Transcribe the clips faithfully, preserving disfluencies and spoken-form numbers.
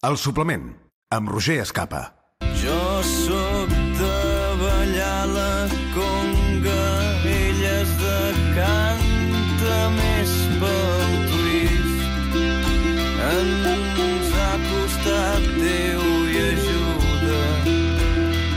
El suplement, amb Roger Escapa. Jo sóc de ballar la conga, ella és de canta més pel twist. Ens ha costat Déu i ajuda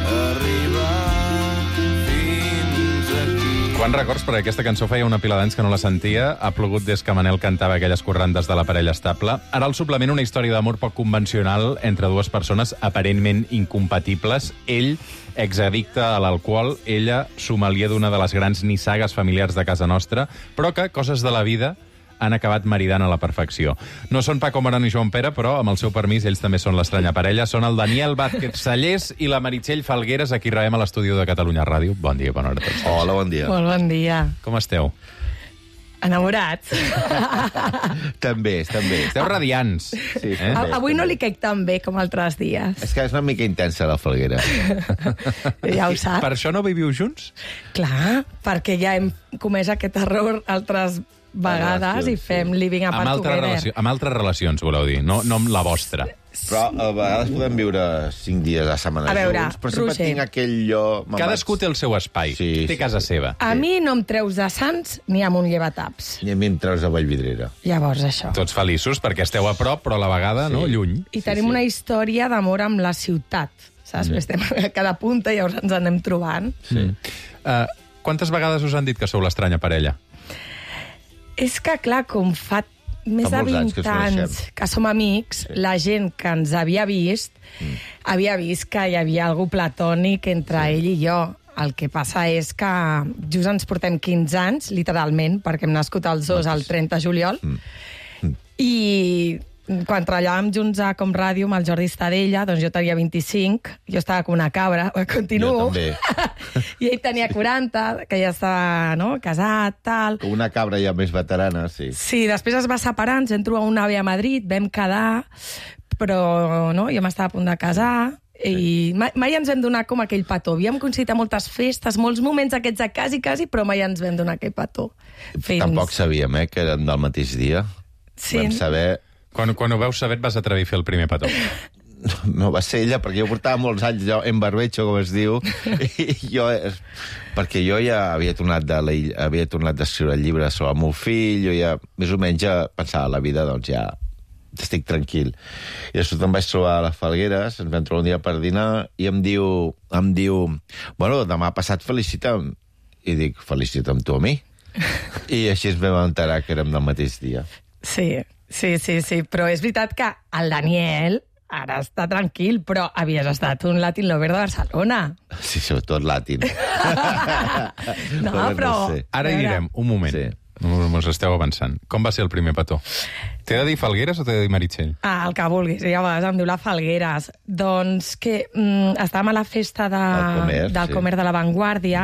a arribar fins aquí. Quants records, perquè aquesta cançó feia una pila d'anys que no la sentia. Ha plogut des que Manel cantava aquelles corrandes de la parella estable. Ara el suplement, una història d'amor poc convencional entre dues persones aparentment incompatibles. Ell, exaddicte a l'alcohol, ella, sommelier d'una de les grans nissagues familiars de casa nostra, però que, coses de la vida, han acabat maridant a la perfecció. No són Paco Morán i Joan Pere, però, amb el seu permís, ells també són l'estranya parella. Són el Daniel Vázquez Sallés i la Meritxell Falgueres, a qui rebem a l'estudi de Catalunya Ràdio. Bon dia, bona hora a tots. Hola, bon dia. Molt bon dia. Com esteu? Enamorats. També, també. Esteu radiants. Sí, Eh? A- Avui no li caic tan bé com altres dies. És que és una mica intensa, la Falguera. Ja ho saps. Per això no viviu junts? Clar, perquè ja hem comès aquest error altres vegades i fem living Amb apart altres, together. relació, amb altres relacions, voleu dir, no, no amb la vostra. Però a vegades podem viure cinc dies a la setmana A veure, junts, però sempre Roger. tinc aquell lloc... Cadascú té el seu espai, Sí, té sí, casa sí. seva. A mi no em treus de Sants ni amb un llevataps. I a mi em treus a Vallvidrera. Llavors, això. Tots feliços perquè esteu a prop, però a la vegada, Sí. no, lluny. I tenim sí. una història d'amor amb la ciutat, saps? Mm. Estem a cada punta i llavors ens anem trobant. Sí. Uh, quantes vegades us han dit que sou l'estranya parella? És que, clar, com fa més Fa de molts anys vint que ens anys coneixem. que som amics, sí. La gent que ens havia vist mm. havia vist que hi havia algú platònic entre sí. ell i jo. El que passa és que just ens portem quinze anys, literalment, perquè hem nascut els dos el trenta de juliol, mm. Mm. i quan treballàvem junts a Com Ràdio amb el Jordi Estadella, doncs jo tenia vint-i-cinc, jo estava com una cabra, continuo. Jo també. I ell tenia quaranta, que ja estava, no?, casat, tal. Com una cabra ja més veterana, sí. Sí, després es va separar, ens vam trobar un ave a Madrid, vam quedar, però no, jo m'estava a punt de casar, i mai, mai ens vam donar com aquell petó. Havíem coincidit a moltes festes, molts moments aquests de quasi, quasi, però mai ens vam donar aquell petó. Fins... Tampoc sabíem, eh, que eren del mateix dia. Sí. Vam saber... Quan, quan ho veus saber et vas atrevir a fer el primer petó. No va ser ella, perquè jo portava molts anys jo, en barbecho, com es diu, i jo, perquè jo ja havia tornat de la, havia tornat d'escriure el llibre sobre el meu fill, jo ja, més o menys, ja pensava la vida, doncs ja estic tranquil. I després em vaig trobar a les Falgueres, ens vam trobar un dia per dinar, i em diu, em diu, bueno, demà passat felicita'm. I dic, felicita'm tu a mi? I així ens vam enterar que érem del mateix dia. Sí, sí, sí, sí, però és veritat que el Daniel ara està tranquil, però havies estat un Latin lover de Barcelona. Sí, sobretot latin. No, Però però... no sé. Ara hi anirem, un moment. Sí. Mos esteu avançant. Com va ser el primer petó? T'he de dir Falgueres o t'he de dir Meritxell? Ah, el que vulguis, ja a vegades em diu la Falgueres. Doncs que mm, estàvem a la festa de, Del Comer, del sí. Comer de la Vanguardia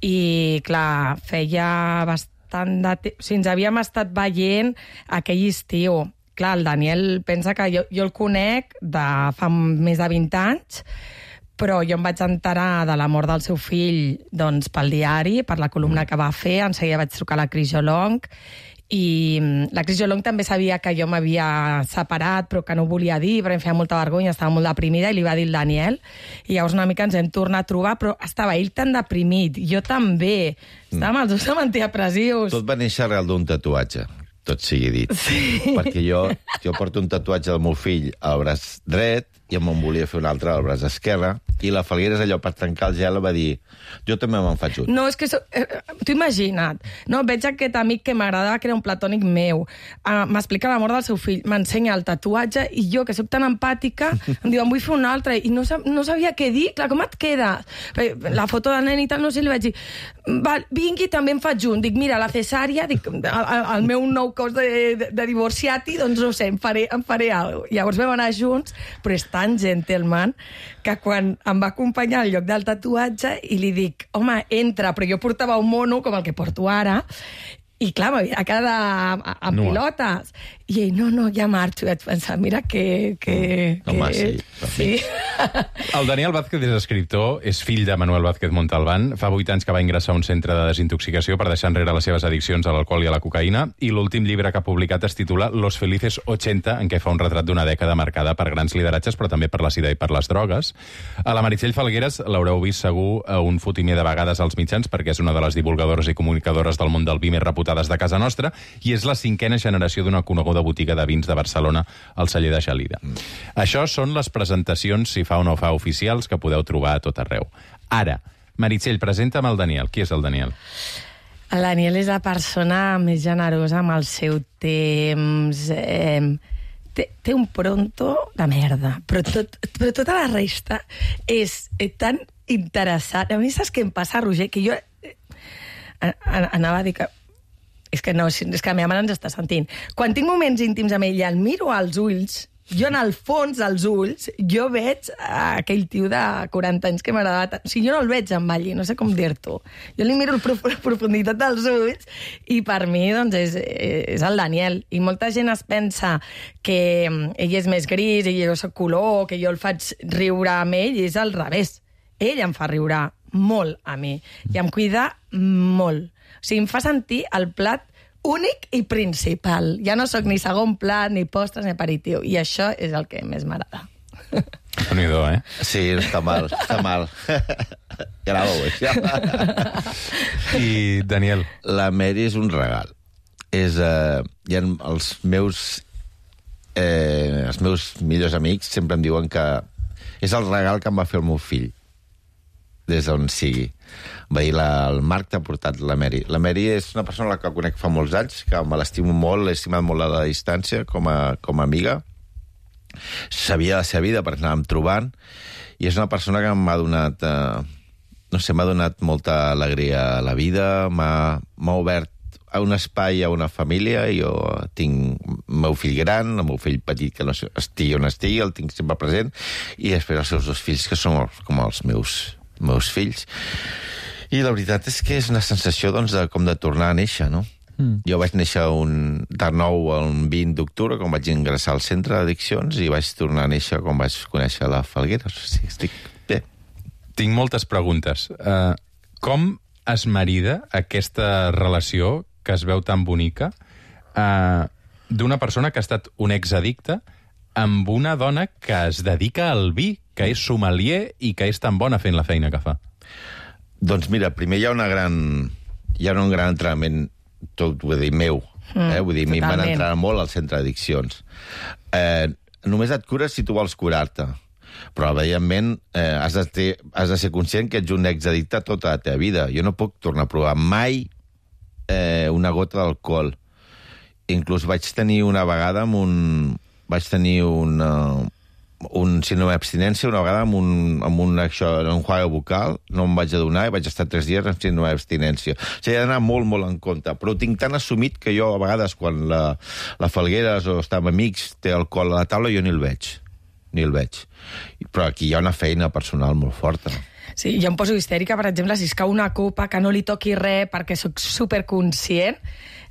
i, clar, feia bastant de temps... O sigui, ens havíem estat veient aquell estiu. Clar, el Daniel pensa que jo, jo el conec de fa més de vint anys, però jo em vaig enterar de la mort del seu fill doncs, pel diari, per la columna que va fer. En seguida vaig trucar a la Cris Jolong, i la Cris Jolong també sabia que jo m'havia separat, però que no ho volia dir, perquè em feia molta vergonya, estava molt deprimida, i li va dir el Daniel. I llavors una mica ens vam tornar a trobar, però estava ell tan deprimit, jo també. Estàvem els dos amb antidepressius. Tot va néixer arrel d'un tatuatge, tot sigui dit. Sí. Perquè jo, jo porto un tatuatge del meu fill al braç dret i em volia fer un altre al braç esquerre, i la Falgueres, allò per trencar el gel, va dir, jo també me'n faig un. No, és que... So, eh, T'ho imagina't. No, veig aquest amic que m'agradava, que era un platònic meu. Uh, M'explica la mort del seu fill, m'ensenya el tatuatge, i jo, que sóc tan empàtica, em diu, em vull fer un altre, i no, sab no sabia què dir. Clar, com et queda? La foto del nen i tal, no sé, li vaig dir, val, vingui, també em faig un. Dic, mira, la cesària, dic, el, el meu nou cos de, de, de divorciati, doncs no sé, em faré, em faré alguna cosa. Llavors vam anar junts, però és tan gentleman que quan em va acompanyar al lloc del tatuatge i li dic, home, entra, però jo portava un mono com el que porto ara, i clar, m'havia quedat amb Nua. pilotes. I ell, no, no, ja marxo. I vaig pensar, mira que... que, No, que... home, sí, sí. El Daniel Vázquez és escriptor, és fill de Manuel Vázquez Montalbán. Fa vuit anys que va ingressar a un centre de desintoxicació per deixar enrere les seves addiccions a l'alcohol i a la cocaïna, i l'últim llibre que ha publicat es titula Los Felices ochenta, en què fa un retrat d'una dècada marcada per grans lideratges, però també per la sida i per les drogues. A la Meritxell Falgueres l'haureu vist segur a un fotimer de vegades als mitjans, perquè és una de les divulgadores i comunicadores del món del vi més reputades de casa nostra, i és la cinquena generació d'una coneguda botiga de vins de Barcelona, al celler de Gelida. Mm. Això són les presentacions, si fa o no fa, oficials, que podeu trobar a tot arreu. Ara, Meritxell, presenta'm el Daniel. Qui és el Daniel? El Daniel és la persona més generosa amb el seu temps. Eh, té, té un pronto de merda, però, tot, però tota la resta és eh, tan interessant. A mi saps què em passa, Roger? Que jo eh, anava a dir que... És que no, és que la meva mare ens està sentint. Quan tinc moments íntims amb ella, el miro als ulls, jo en el fons dels ulls, jo veig aquell tio de quaranta anys que m'agradava tant. O sigui, jo no el veig amb allí, no sé com dir-t'ho. Jo li miro la profunditat dels ulls i per mi, doncs, és, és el Daniel. I molta gent es pensa que ell és més gris, i jo soc color, que jo el faig riure amb ell, i és al revés. Ell em fa riure molt a mi i em cuida molt. O sigui, em fa sentir el plat únic i principal. Ja no sóc ni segon plat, ni postres, ni aperitiu. I això és el que més m'agrada. Déu-n'hi-do, eh? Sí, està mal, està mal. Ja la veus, ja. I, Daniel? La Mary és un regal. És, eh, hi ha els meus, eh, els meus millors amics sempre em diuen que és el regal que em va fer el meu fill, des d'on sigui. Va dir, la, el Marc t'ha portat la Mary. La Mary és una persona la que conec fa molts anys, que me l'estimo molt, l'he estimat molt a la distància, com a, com a amiga. Sabia la seva vida perquè anàvem trobant, i és una persona que m'ha donat, eh, no sé, m'ha donat molta alegria a la vida, m'ha obert a un espai, a una família. Jo tinc el meu fill gran, el meu fill petit, que no estigui on estigui, el tinc sempre present, i després els seus dos fills, que són com els meus, meus fills. I la veritat és que és una sensació, doncs, de, com de tornar a néixer, no? Mm. Jo vaig néixer un, de nou el vint d'octubre, quan vaig ingressar al centre d'addiccions, i vaig tornar a néixer quan vaig conèixer la Falgueres. O sigui, estic bé. Tinc moltes preguntes. Uh, com es marida aquesta relació que es veu tan bonica uh, d'una persona que ha estat un exaddicte amb una dona que es dedica al vi, que és sommelier i que és tan bona fent la feina que fa? Doncs mira, primer hi ha una gran... Hi ha un gran entrenament, tot vull dir, meu. Mm, eh? Vull dir, a mi em van entrenar molt al centre d'addiccions. Eh, només et cures si tu vols curar-te. Però, evidentment, eh, has, de ter, has de ser conscient que ets un exaddicte tota la teva vida. Jo no puc tornar a provar mai eh, una gota d'alcohol. Inclús vaig tenir una vegada amb un... Vaig tenir una... un síndrome d'abstinència una vegada amb un, amb un, això, un enjuague bucal, no em vaig adonar i vaig estar tres dies amb síndrome d'abstinència. O sigui, he d'anar molt, molt en compte. Però ho tinc tan assumit que jo, a vegades, quan la, la Falgueres o està amb amics, té alcohol a la taula, jo ni el veig. Ni el veig. Però aquí hi ha una feina personal molt forta. Sí, jo em poso histèrica, per exemple, si es cau una copa, que no li toqui res, perquè sóc superconscient.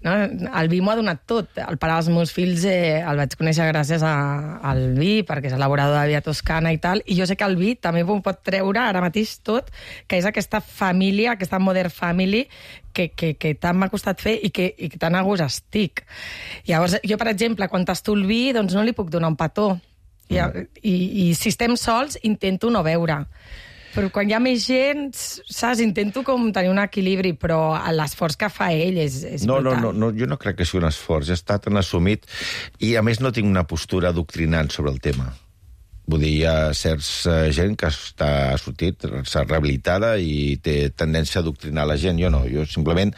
No? El vi m'ho ha donat tot. El pare dels meus fills eh, el vaig conèixer gràcies a, al vi, perquè és elaborador de vi a Toscana i tal, i jo sé que el vi també m'ho pot treure ara mateix tot, que és aquesta família, aquesta modern family, que, que, que tant m'ha costat fer i que, i que tan a gust estic. Llavors, jo, per exemple, quan tasto el vi, doncs no li puc donar un petó. I, i, i si estem sols, intento no beure. Però quan hi ha més gent, saps, intento com tenir un equilibri, però l'esforç que fa ell és, és no, brutal. No, no, no, jo no crec que sigui un esforç, ja està tan assumit, i a més no tinc una postura doctrinant sobre el tema. Vull dir, hi ha certs uh, gent que està sortit, s'ha rehabilitada i té tendència a doctrinar la gent. Jo no, jo simplement,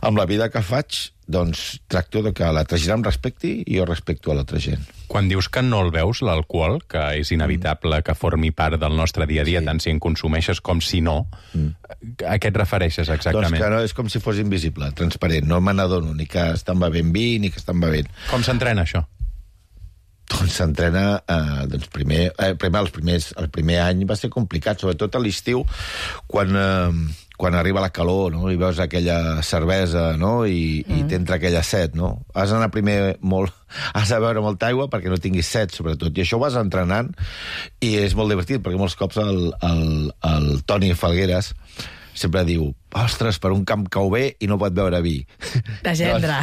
amb la vida que faig, doncs tracto de que l'altra gent em respecti i jo respecto a l'altra gent. Quan dius que no el veus, l'alcohol, que és inevitable que formi part del nostre dia a dia, sí, tant si en consumeixes com si no, mm. a què et refereixes exactament? Doncs que no, és com si fos invisible, transparent. No me n'adono ni que estan bevent vi ni que estan bevent. Com s'entrena això? doncs s'entrena, eh, doncs primer, eh, primer, els primers, el primer any va ser complicat, sobretot a l'estiu, quan, eh, quan arriba la calor, no? I veus aquella cervesa, no? I, mm. i t'entra aquella set, no? Has d'anar primer molt... Has de beure molta aigua perquè no tinguis set, sobretot. I això ho vas entrenant i és molt divertit, perquè molts cops el, el, el Toni Falgueres sempre diu, ostres, per un camp cau bé i no pot beure vi. De gendre.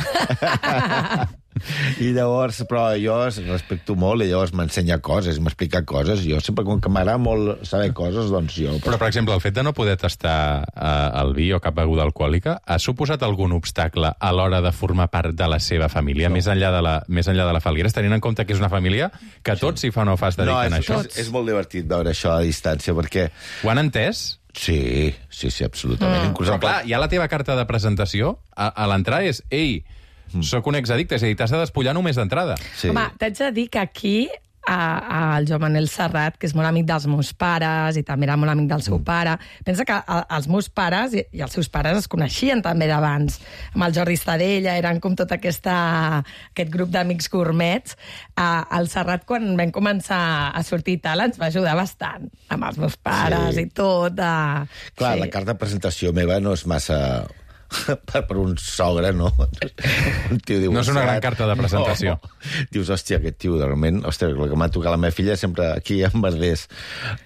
I llavors, però jo respecto molt i llavors m'ensenya coses, m'explica coses. Jo sempre, com que m'agrada molt saber coses, doncs jo... Però, per exemple, el fet de no poder tastar eh, el vi o cap beguda alcohòlica ha suposat algun obstacle a l'hora de formar part de la seva família, no. més, enllà de la, més enllà de la Falgueres, tenint en compte que és una família que tots, si fa o no fa, es dediquen no, és, a això? És, és molt divertit veure això a distància, perquè... Ho han entès? Sí, sí, sí, absolutament. Mm. Però clar, ja la teva carta de presentació, a, a l'entrada és, ei, mm. sóc un exaddicte, és a dir, t'has de despullar només d'entrada. Sí. Home, t'haig de dir que aquí a, a el Joan Manel Serrat, que és molt amic dels meus pares i també era molt amic del seu mm. pare. Pensa que a, els meus pares i, i els seus pares es coneixien també d'abans. Amb el Jordi Estadella, eren com tot aquesta, aquest grup d'amics gourmets. A, el Serrat, quan vam començar a sortir i tal, ens va ajudar bastant amb els meus pares sí. i tot. A... Clar, sí. la carta de presentació meva no és massa... per, per un sogre, no? Un tio dibuixat. No és una gran carta de presentació. No. Dius, hòstia, aquest tio, realment... Hòstia, el que m'ha tocat la meva filla sempre aquí en Verdés.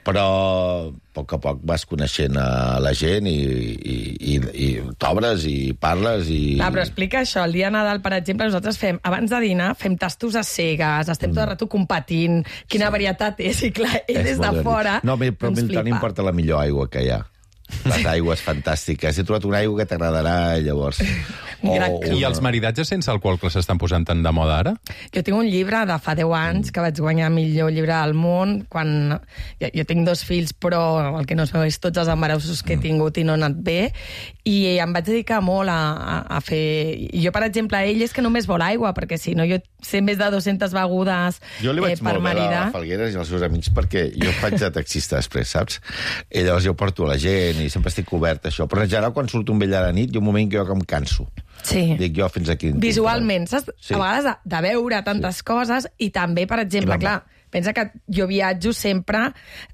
Però a poc a poc vas coneixent a la gent i, i, i, i t'obres i parles i... Ah, però explica això. El dia de Nadal, per exemple, nosaltres fem, abans de dinar, fem tastos a cegues, estem mm. tot el rato competint, quina sí. varietat és, i clar, ell des de fora... No, però a mi tant importa la millor aigua que hi ha. Les aigües fantàstiques. He trobat una aigua que t'agradarà, llavors... Oh, I els maridatges sense alcohol que s'estan posant tan de moda ara? Jo tinc un llibre de fa deu anys que vaig guanyar el millor llibre del món quan... Jo, jo tinc dos fills, però el que no es veu és tots els embarassos que he tingut i no han anat bé, i em vaig dedicar molt a, a, a fer... Jo, per exemple, ell és que només vol aigua, perquè si no jo sé més de dues-centes begudes jo li vaig eh, per molt maridar. bé a la Falgueres i als seus amics, perquè jo faig de taxista després, saps? I llavors jo porto la gent i sempre estic obert a això. Però en general, quan surto un vell a la nit, hi ha un moment que jo que em canso. Sí. Dic jo fins aquí. Visualment, saps? Sí. A vegades de, de veure tantes sí. coses i també, per exemple, clar, pensa que jo viatjo sempre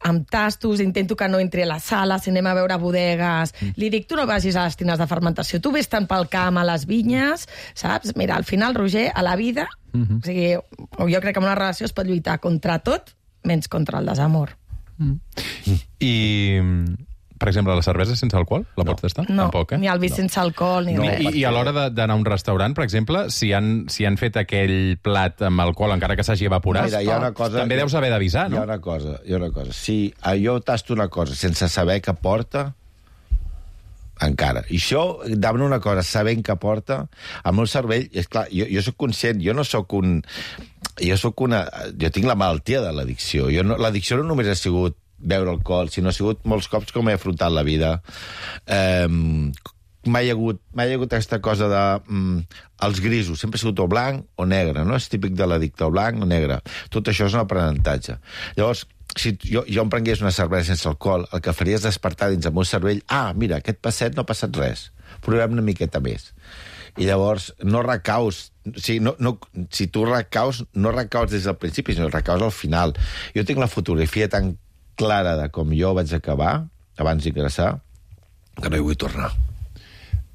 amb tastos, intento que no entri a la sala, si anem a veure bodegues, mm. li dic, tu no vagis a les tines de fermentació, tu vés tant pel camp, a les vinyes, saps? Mira, al final, Roger, a la vida, mm-hmm. o sigui, jo crec que en una relació es pot lluitar contra tot, menys contra el desamor. Mm. Mm. I... Per exemple, la cervesa sense alcohol, la no. pots tastar? No, Tampoc, eh? ni el vi no. sense alcohol, ni no, res. I, I a l'hora d'anar a un restaurant, per exemple, si han, si han fet aquell plat amb alcohol, encara que s'hagi evaporat, Mira, hi ha una cosa, també deus haver d'avisar, no? Hi ha una cosa, hi ha una cosa. Si jo tasto una cosa sense saber què porta, encara. I això, davant una cosa, sabent què porta, el meu cervell, és clar, jo, jo soc conscient, jo no sóc un... Jo sóc una... Jo tinc la malaltia de l'addicció. No, l'addicció no només ha sigut beure alcohol, sinó ha sigut molts cops com he afrontat la vida. Eh, mai hi ha hagut, mai hi ha hagut aquesta cosa de... Mm, els grisos, sempre ha sigut o blanc o negre, no? És típic de l'addicte, o blanc o negre. Tot això és un aprenentatge. Llavors, si jo, jo em prengués una cervesa sense alcohol, el que faria és despertar dins el meu cervell, ah, mira, aquest passet no ha passat res, provem una miqueta més. I llavors no recaus, o sigui, no, no, si tu recaus, no recaus des del principi, sinó recaus al final. Jo tinc la fotografia tan clara de com jo vaig acabar, abans d'ingressar, que no hi vull tornar.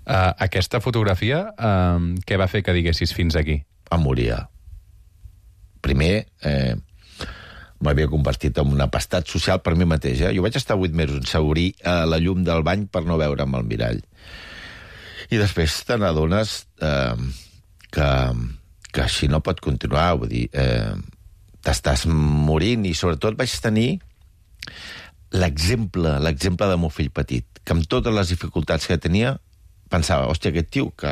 Uh, aquesta fotografia, uh, què va fer que diguessis fins aquí? Em moria. Primer, eh, m'havia convertit en un apestat social per mi mateix. Eh? Jo vaig estar vuit mesos sense obrir eh, la llum del bany per no veure'm al mirall. I després te n'adones eh, que, que així no pot continuar. Vull dir, eh, t'estàs morint i sobretot vaig tenir l'exemple, l'exemple del meu fill petit, que amb totes les dificultats que tenia, pensava, hòstia, aquest tio que,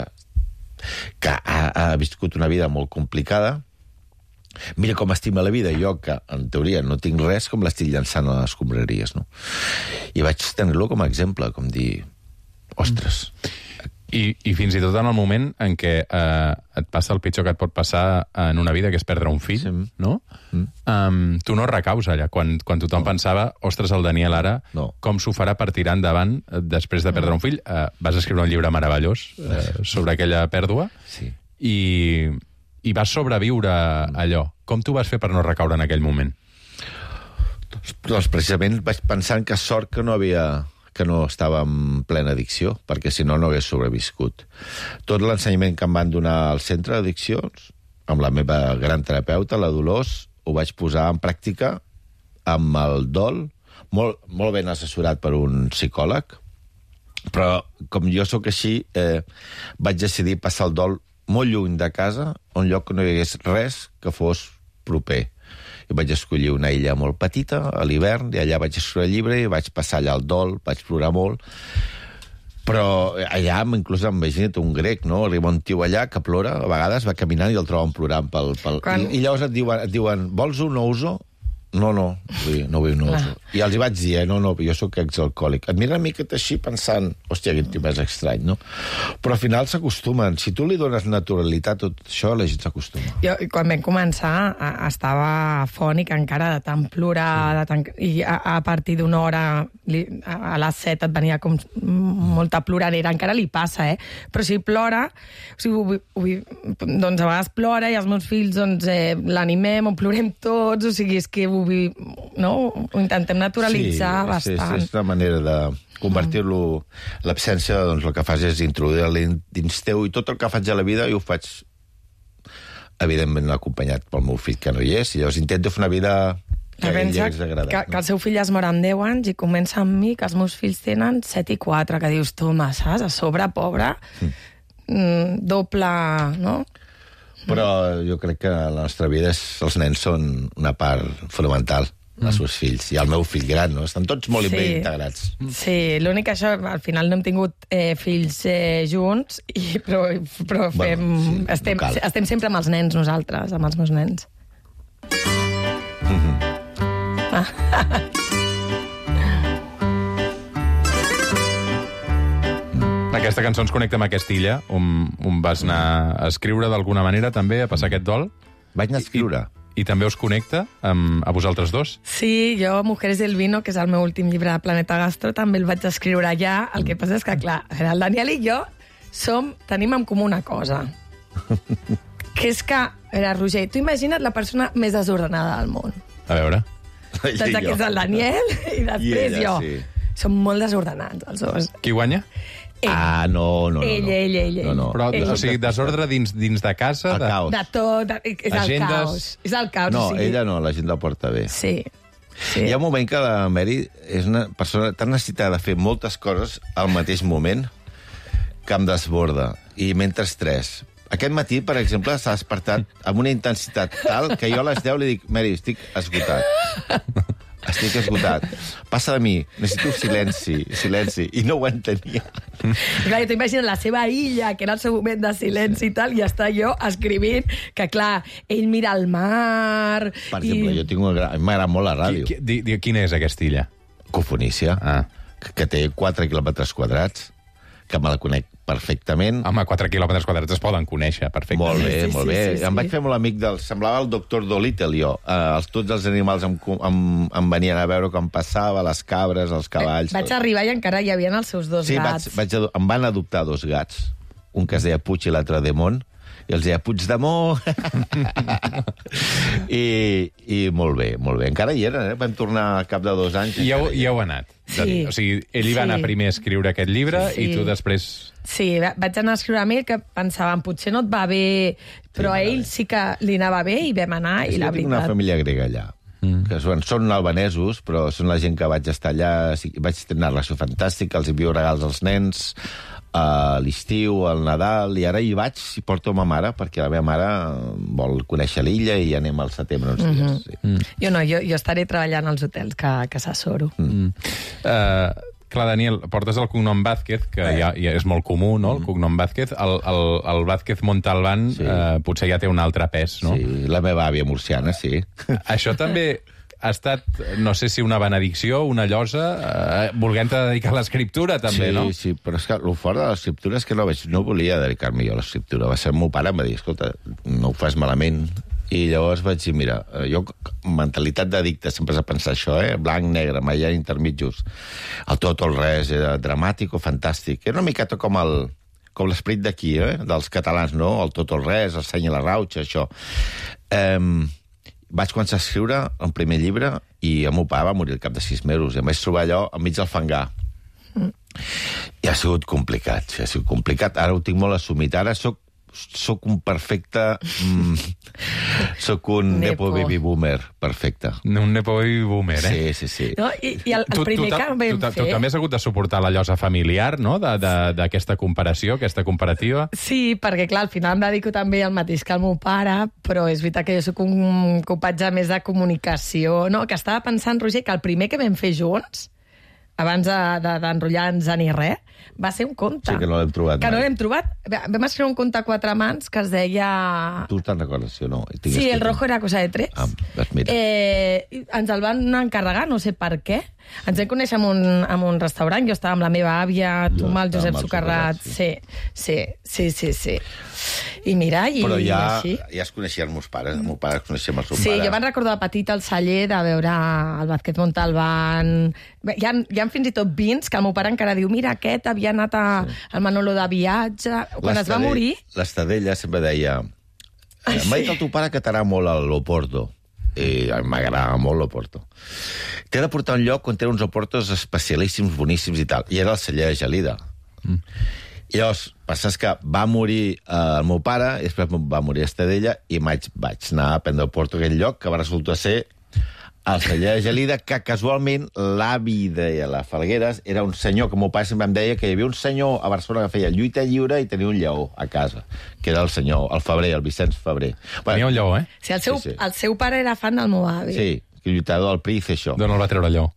que ha, ha viscut una vida molt complicada, mira com estima la vida, jo que, en teoria, no tinc res, com l'estic llançant a les escombraries, no? I vaig tenir-lo com a exemple, com dir, ostres... I, I fins i tot en el moment en què eh, et passa el pitjor que et pot passar en una vida, que és perdre un fill, sí. no? Mm. Um, tu no recaus allà. Quan, quan tothom no. pensava, ostres, el Daniel ara, no. com s'ho farà per tirar endavant després de perdre un fill? Uh, vas escriure un llibre meravellós uh, sobre aquella pèrdua. Sí. I, i vas sobreviure a allò. Com t'ho vas fer per no recaure en aquell moment? Doncs precisament vaig pensant que sort que no havia que no estava en plena addicció, perquè si no, no hagués sobreviscut. Tot l'ensenyament que em van donar al centre d'addiccions, amb la meva gran terapeuta, la Dolors, ho vaig posar en pràctica amb el dol, molt, molt ben assessorat per un psicòleg, però com jo sóc així, eh, vaig decidir passar el dol molt lluny de casa, un lloc que no hi hagués res que fos proper. I vaig escollir una illa molt petita, a l'hivern, i allà vaig escriure el llibre, i vaig passar allà el dol, vaig plorar molt, però allà, inclús, imagina't un grec, no? Arriba un tio allà que plora, a vegades va caminant i el troben plorant pel... pel... Quan... I, I llavors et diuen, et diuen, vols un ouzo? No, no, vull, no vull un ouzo. I els hi vaig dir, eh, no, no, jo sóc exalcohòlic. Et mira una miqueta així pensant, hòstia, quin tio més estrany, no? Però al final s'acostumen. Si tu li dones naturalitat a tot això, la gent s'acostuma. Jo, quan vam començar, estava afònic encara de tant plorar, de tant... i a, a partir d'una hora, li, a les set et venia com molta ploradera. Encara li passa, eh? Però si plora, o sigui, ho, ho, doncs a vegades plora i els meus fills doncs, eh, l'animem o plorem tots, o sigui, és que ho no? Ho intentem naturalitzar sí, bastant. Sí, és una manera de convertir-lo... L'absència, doncs, el que fas és introduir-la dins teu, i tot el que faig a la vida jo ho faig, evidentment, acompanyat pel meu fill, que no hi és, i llavors intento fer una vida que a ell li hagués agradat. Que, no? que el seu fill es mor amb deu anys i comença amb mi, que els meus fills tenen set i quatre, que dius, toma, saps? A sobre, pobre, mm. doble, no? Però jo crec que la nostra vida és, els nens són una part fonamental, mm. els seus fills, i el meu fill gran, no? Estan tots molt sí. ben integrats. Sí, l'únic que això, al final no hem tingut eh, fills eh, junts, i, però, però fem, bueno, sí, estem, no estem sempre amb els nens nosaltres, amb els meus nens. Mm-hmm. Ah. Aquesta cançó ens connecta amb aquesta illa, on, on vas anar a escriure d'alguna manera, també, a passar aquest dol. Vaig anar a escriure. I, i també us connecta amb, a vosaltres dos? Sí, jo, Mujeres del Vino, que és el meu últim llibre de Planeta Gastro, també el vaig escriure allà. El que passa és que, clar, el Daniel i jo som, tenim en comú una cosa. Que és que, era, Roger, tu imagina't la persona més desordenada del món. A veure. Doncs aquí és el Daniel i després I ella, jo. Sí. Som molt desordenats, els dos. Qui guanya? Ell. Ah, no, no, no. Ell, ell, ell, ell. No, no. Però, o sigui, desordre dins, dins de casa? El de... caos. De tot, de, és Agendes... el caos. És el caos. No, o sigui... ella no, la gent la porta bé. Sí. sí. Hi ha un moment que la Mary és una persona tan necessitada de fer moltes coses al mateix moment que em desborda. I mentre tres. Aquest matí, per exemple, s'ha despertat amb una intensitat tal que jo a les deu li dic, Mary, estic esgotat. Estic esgotat. Passa de mi, necessito silenci, silenci. I no ho entenia. Clar, jo t'imagino la seva illa, que era el seu moment de silenci i tal, i està jo escrivint que, clar, ell mira el mar... Per exemple, i... jo tinc una gran... m'agrada molt la ràdio. Qui, qui, di, quina és aquesta illa? Cofonícia, ah. que, que té quatre quilòmetres quadrats, que me la conec perfectament. Home, quatre quilòmetres quadrats es poden conèixer perfectament. Molt bé, sí, molt sí, bé. Sí, sí, em sí. vaig fer molt amic del... Semblava el doctor Dolittle, jo. Uh, els, tots els animals em, em, em venien a veure com passava, les cabres, els cavalls... Vaig arribar i encara hi havia els seus dos sí, gats. Sí, vaig, vaig, em van adoptar dos gats, un que es deia Puig i l'altre Demont, i els deia Puigdemont. I, I molt bé, molt bé. Encara hi eren, eh? Vam tornar al cap de dos anys. I ja, hi heu anat. Sí. O sigui, ell hi va sí. anar primer a escriure aquest llibre sí, sí. i tu després... Sí, vaig anar a escriure amb ell que pensàvem, potser no et va bé, però sí, a ell sí que li anava bé i vam anar, és i la veritat... veritat... una família grega allà. Mm. Que són, són albanesos, però són la gent que vaig estar allà, vaig tenir una relació fantàstica, els envio regals als nens, a l'estiu, al Nadal, i ara hi vaig i porto ma mare, perquè la meva mare vol conèixer l'illa i anem al setembre uns dies. Mm-hmm. Sí. Mm. Jo no, jo, jo estaré treballant als hotels que, que s'assoro. Mm. Uh, clar, Daniel, portes el cognom Vázquez, que eh. ja, ja és molt comú, no?, el cognom Vázquez. El, el, el Vázquez Montalbán sí. uh, potser ja té un altre pes, no? Sí, la meva àvia murciana, sí. Això també... ha estat, no sé si una benedicció, una llosa, eh, volent-te dedicar a l'escriptura, també, sí, no? Sí, sí, però és que el fort de l'escriptura és que no, vaig, no volia dedicar-me jo a l'escriptura. Va ser el meu pare, em va dir, escolta, no ho fas malament. I llavors vaig dir, mira, jo, mentalitat d'addicte, sempre has de pensar això, eh? Blanc, negre, mai hi ha intermitjos. El tot o el res, era dramàtic o fantàstic. Era una miqueta com el, com l'esperit d'aquí, eh? dels catalans, no? El tot o el res, el seny i la rauxa, això. Um, vaig començar a escriure el primer llibre i el meu pare va morir al cap de sis mesos i em vaig trobar allò enmig del fangar. Mm. I ha sigut complicat, sí, ha sigut complicat. Ara ho tinc molt assumit. Ara soc, soc un perfecte... Mm, soc un nepo, nepo baby boomer perfecte. Un nepo baby boomer, eh? Sí, sí, sí. No, I, i el, el tu, primer tu, que vam tu, fer... Tu també has hagut de suportar la llosa familiar, no?, d'aquesta comparació, aquesta comparativa. Sí, perquè, clar, al final em dedico també al mateix que el meu pare, però és veritat que jo soc un copatge més de comunicació. No, que estava pensant, Roger, que el primer que vam fer junts, abans d'enrotllar-nos de, de, ni res, va ser un conte. Sí, que no l'hem trobat. Que mai. no l'hem trobat. Vam escriure un conte a quatre mans que es deia... Tu te'n recordes, sí o no? Tinc Sí, escrit. el rojo era cosa de tres. Ah, doncs mira. Eh, ens el van encarregar, no sé per què. Ens vam conèixer en un, en un restaurant, jo estava amb la meva àvia, tu amb el Josep Socarrat. Sí, sí, sí, sí, sí. I mira, i, Però ja, i així. ja es coneixien els meus pares, el meu pare es coneixia amb el seu Sí, pare. jo me'n recordo de petit al celler de veure el Vázquez Montalbán. Hi ha, hi ha fins i tot vins que el meu pare encara diu mira, aquest havia anat a, sí. al Manolo de viatge. Quan es va morir... L'Estadella sempre deia Ai, m'ha dit sí. el teu pare que t'agrada molt el Loporto. I m'agrada molt l'Oporto. T'he de portar un lloc on té uns Oportos especialíssims, boníssims i tal. I era el celler de Gelida. Mm. I llavors, passa que va morir eh, el meu pare, i després va morir Estadella, i vaig, vaig anar a prendre Oporto a aquell lloc, que va resultar ser el celler de Gelida, que casualment l'avi de la Falgueres era un senyor, que el meu pare sempre em deia que hi havia un senyor a Barcelona que feia lluita lliure i tenia un lleó a casa, que era el senyor, el Febrer, el Vicenç Febrer. Tenia un lleó, eh? Sí, el seu, Sí, sí. el seu pare era fan del meu avi. Sí, que lluitador del P R I, això. D'on el va treure el lleó?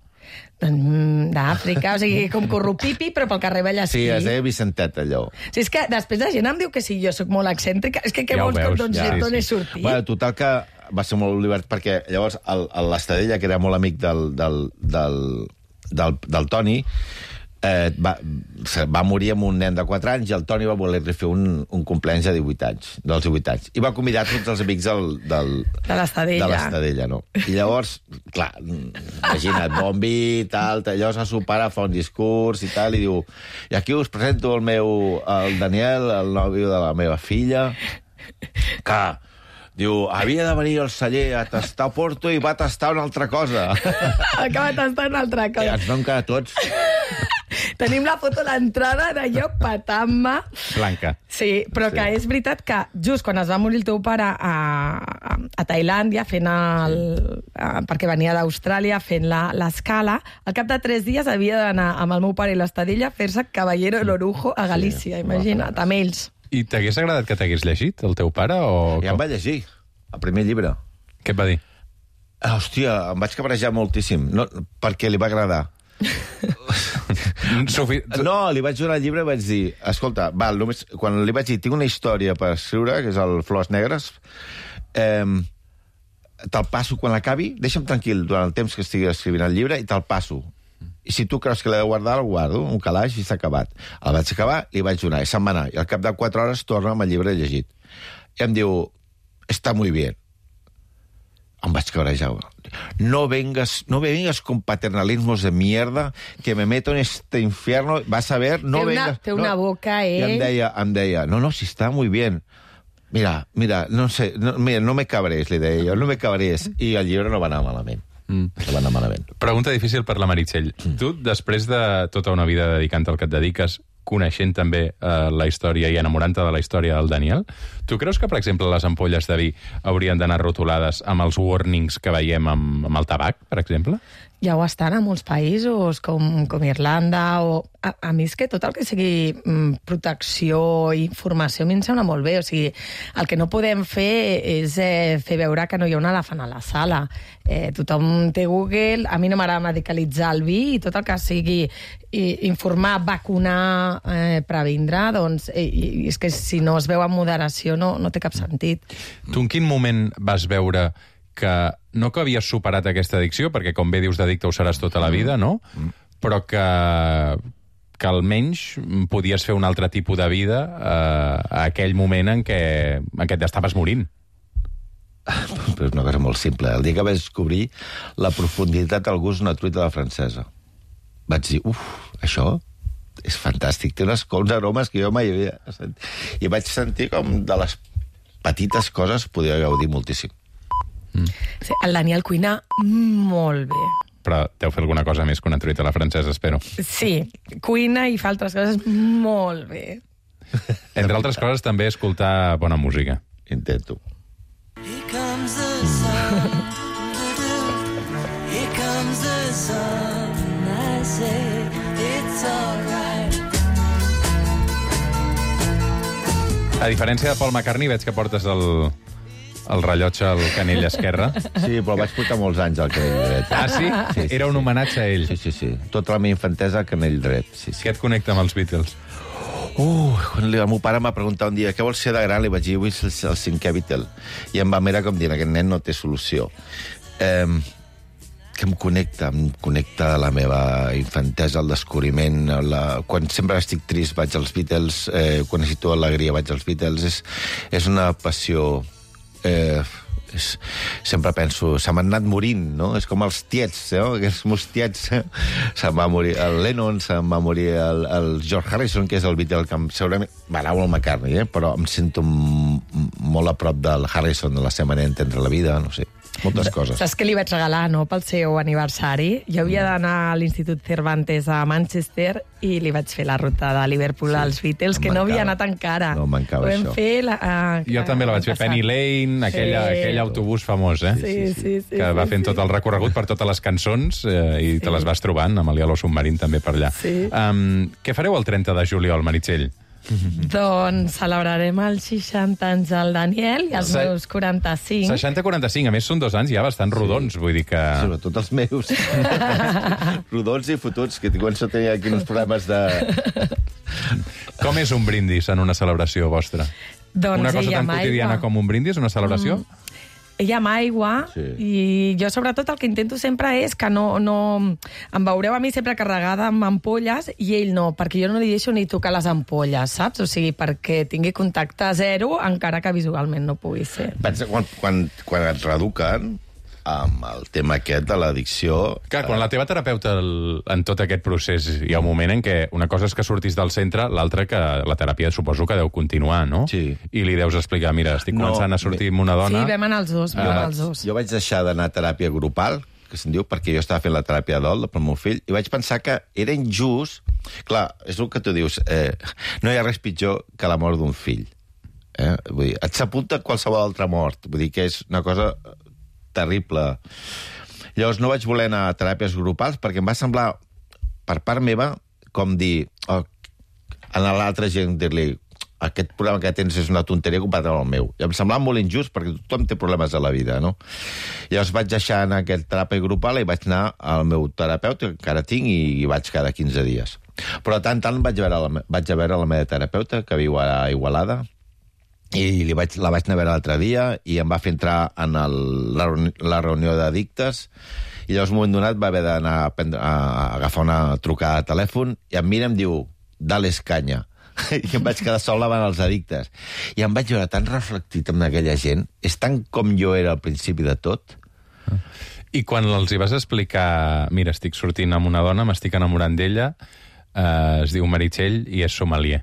Mm, D'Àfrica, o sigui, com corrupipi, però pel carrer Vallespí. Sí, es deia Vicentet, allò. Sí, és que després la gent em diu que sí, jo sóc molt excèntrica. És que què Ja ho vols veus, que doncs, ja, d'on sí, he sí. sortit? Bueno, total que va ser molt divert, perquè llavors l'Estadella, que era molt amic del, del, del, del, del Toni, eh, va, va morir amb un nen de quatre anys i el Toni va voler-li fer un, un compleanys de divuit anys, dels divuit anys. I va convidar tots els amics del, del, De l'Estadella. de l'Estadella, no? I llavors, clar, imagina't, bon vi, tal, tal, llavors el seu pare fa un discurs i tal, i diu, i aquí us presento el meu, el Daniel, el nòvio de la meva filla, que, diu, havia de venir al celler a tastar Porto i va tastar una altra cosa. Acaba tastant una altra I cosa. ens vam quedar tots... Tenim la foto a l'entrada d'allò patant-me. Blanca. Sí, però Sí. que és veritat que just quan es va morir el teu pare a, a, a Tailàndia, fent el, a, perquè venia d'Austràlia, fent la- l'escala, al cap de tres dies havia d'anar amb el meu pare i l'Estadella a fer-se Caballero de l'Orujo a Galícia, Sí, imagina't, amb ells. I t'hagués agradat que t'hagués llegit, el teu pare? O... I em va llegir, el primer llibre. Què et va dir? Ah, hòstia, em vaig cabrejar moltíssim, no, perquè li va agradar. Sofi... No, li vaig donar el llibre i vaig dir, escolta, val, només, quan li vaig dir, tinc una història per escriure, que és el Flors Negres, eh, te'l passo quan l'acabi, deixa'm tranquil durant el temps que estigui escrivint el llibre i te'l passo. I si tu creus que l'he de guardar, el guardo, un calaix i s'ha acabat. El vaig acabar i li vaig donar, i se'n va anar. I al cap de quatre hores torna amb el llibre llegit. I em diu, està muy bien. Em vaig cabrejar. No vengas, no me vengas con paternalismos de mierda que me meto en este infierno. Vas a ver, no Té una- vengas... té una no. boca, I em ell. deia, em deia, no, no, si està muy bien. Mira, mira, no sé, no, mira, no me cabres, li deia jo, no me cabres. I el llibre no va anar malament. Mm. No va anar malament. Pregunta difícil per la Meritxell. Mm. Tu, després de tota una vida dedicant al que et dediques, coneixent també eh, la història i enamorant-te de la història del Daniel, tu creus que, per exemple, les ampolles de vi haurien d'anar rotulades amb els warnings que veiem amb, amb el tabac, per exemple? Ja ho estan a molts països, com, com Irlanda, o... A, a mi és que tot el que sigui mm, protecció i informació a mi em sembla molt bé. O sigui, el que no podem fer és eh, fer veure que no hi ha un elefant a la sala. Eh, tothom té Google, a mi no m'agrada medicalitzar el vi, i tot el que sigui i, informar, vacunar, eh, previndre, doncs eh, i, és que si no es veu amb moderació no, no té cap sentit. Tu en quin moment vas veure que no que havies superat aquesta addicció, perquè com bé dius d'addicte ho seràs tota la vida, no? Però que, que almenys podies fer un altre tipus de vida eh, a aquell moment en què, en què t'estaves morint. Però és una cosa molt simple. El dia que vaig descobrir la profunditat del gust d'una truita de la francesa, vaig dir, uf, això? és fantàstic. Té unes, uns aromes que jo mai havia sentit. I vaig sentir com de les petites coses podia gaudir moltíssim. Mm. Sí, el Daniel cuina molt bé. Però deu fer alguna cosa més que una truita a la francesa, espero. Sí, cuina i fa altres coses molt bé. Entre altres coses, també escoltar bona música. Intento. Here comes the sun. Here comes the sun. I say it's all right. A diferència de Paul McCartney, veig que portes el, el rellotge al canell esquerre. Sí, però vaig portar molts anys al canell dret. Ah, sí? Sí, sí, Era un homenatge a ell. Sí, sí, sí. Tota la meva infantesa al canell dret. Sí, sí. Què et connecta amb els Beatles? Uh, quan el meu pare m'ha preguntat un dia què vols ser de gran, li vaig dir, vull ser el, el cinquè Beatle. I em va mirar com dient, aquest nen no té solució. Eh, que em connecta, em connecta la meva infantesa, el descobriment. La... Quan sempre estic trist vaig als Beatles, eh, quan necessito alegria vaig als Beatles. És, és una passió... Eh, és, sempre penso, se m'han anat morint, no? És com els tiets, no? Aquests meus tiets. Se'n va morir el Lennon, se'n va morir el, el George Harrison, que és el Beatle que segurament m'agrada el McCartney, eh? Però em sento molt a prop del Harrison, de la seva manera d'entendre la vida, no sé. Moltes coses. Saps què li vaig regalar, no?, pel seu aniversari? Jo havia d'anar a l'Institut Cervantes a Manchester i li vaig fer la ruta de Liverpool sí, als Beatles, que no havia anat encara. No mancava això. Fer la, uh, jo també la vaig fer, Penny Lane, aquella, sí. aquell autobús famós, eh? Sí, sí, sí. sí que va sí, fent sí. tot el recorregut per totes les cançons eh, i sí. te les vas trobant, amb el Yellow Submarine també per allà. Sí. Um, què fareu el trenta de juliol, Meritxell? Doncs celebrarem els seixanta anys del Daniel i els Se... meus quaranta-cinc. seixanta quaranta-cinc, a més són dos anys ja bastant rodons, sí. vull dir que... Sobretot els meus. Rodons i fotuts, que començo a tenir aquí uns problemes de... Com és un brindis en una celebració vostra? Doncs una cosa tan quotidiana aigua. com un brindis, una celebració? Mm. Ella amb aigua, sí. I jo sobretot el que intento sempre és que no, no... Em veureu a mi sempre carregada amb ampolles i ell no, perquè jo no li deixo ni tocar les ampolles, saps? O sigui, perquè tingui contacte zero, encara que visualment no pugui ser. Pensa, quan, quan, quan et reeduquen amb el tema aquest de l'addicció... Clar, quan la teva terapeuta el, en tot aquest procés hi ha un moment en què una cosa és que surtis del centre, l'altra que la teràpia suposo que deu continuar, no? Sí. I li deus explicar, mira, estic no, començant a sortir amb una dona... Sí, vam anar els dos, vam anar els dos. Jo vaig deixar d'anar a teràpia grupal, que se'n diu, perquè jo estava fent la teràpia d'ol pel meu fill, i vaig pensar que era injust... Clar, és el que tu dius, eh, no hi ha res pitjor que la mort d'un fill. Eh? Vull dir, et s'apunta qualsevol altra mort. Vull dir que és una cosa terrible. Llavors no vaig voler anar a teràpies grupals perquè em va semblar, per part meva, com dir oh, a l'altra gent, dir-li aquest problema que tens és una tonteria comparat amb el meu. I em semblava molt injust perquè tothom té problemes a la vida, no? Llavors vaig deixar anar a aquest teràpia grupal i vaig anar al meu terapeuta, que encara tinc, i vaig cada quinze dies. Però de tant en tant vaig a veure la, vaig a veure la meva terapeuta, que viu a Igualada, i li vaig, la vaig anar a veure l'altre dia i em va fer entrar en el, la, la reunió d'addictes i llavors un moment donat va haver d'anar a, prendre, a, a agafar una trucada de telèfon i em mira i em diu, dales canya. I em vaig quedar sol davant els addictes. I em vaig veure tan reflectit amb aquella gent. És tant com jo era al principi de tot. I quan els hi vas explicar, mira, estic sortint amb una dona, m'estic enamorant d'ella, eh, es diu Meritxell i és sommelier.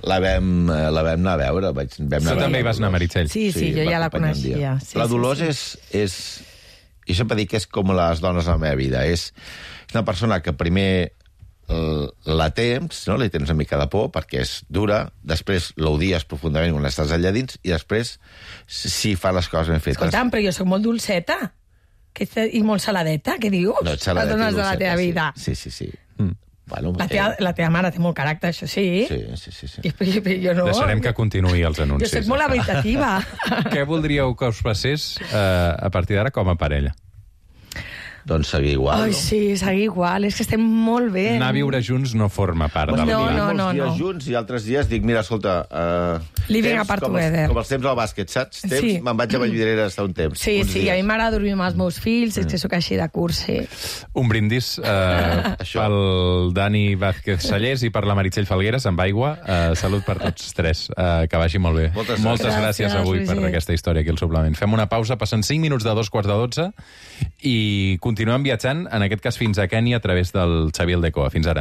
La vam, la vam anar a veure. Vaig, vam anar tu també hi vas anar, Meritxell? Sí, sí, sí, jo ja la coneixia. Sí, la Dolors sí, sí. és, és... Jo sempre dic que és com les dones a la meva vida. És una persona que primer la temps, no? Li tens una mica de por perquè és dura, després l'odies profundament quan estàs allà dins i després sí fa les coses ben fetes. Escolta'm, però jo soc molt dolceta que, i molt saladeta, què dius? No, ets saladeta i dolceta, de la teva vida. Sí, sí, sí. sí. Mm. Bueno, la, teva, la teva mare té molt caràcter, això sí. Sí, sí, sí. sí. I, i, jo no. Deixarem que continuï els anuncis. Jo soc molt habitativa. Què voldríeu que us passés eh, a partir d'ara com a parella? Doncs seguir igual, Ai, no? sí, seguir igual. És que estem molt bé. Anar a viure junts no forma part del no, pla. no, no, molts dies no. junts i altres dies dic, mira, escolta... Uh, Living apart com together. Els, com els temps al bàsquet, saps? Temps, Sí. me'n vaig a Vallvidrera a estar un temps. Sí, sí, dies. a mi m'agrada dormir amb els meus fills, és que sóc així de curs, sí. Un brindis eh, pel Dani Vázquez Sallés i per la Meritxell Falgueres amb aigua. Eh, salut per tots tres. Eh, que vagi molt bé. Moltes Moltes gràcies, gràcies avui Roger. per aquesta història aquí al suplement. Fem una pausa, passen cinc minuts de dos quarts de dotze i continuem. continuem viatjant, en aquest cas fins a Kènia, a través del Xavier Aldecoa. Fins ara.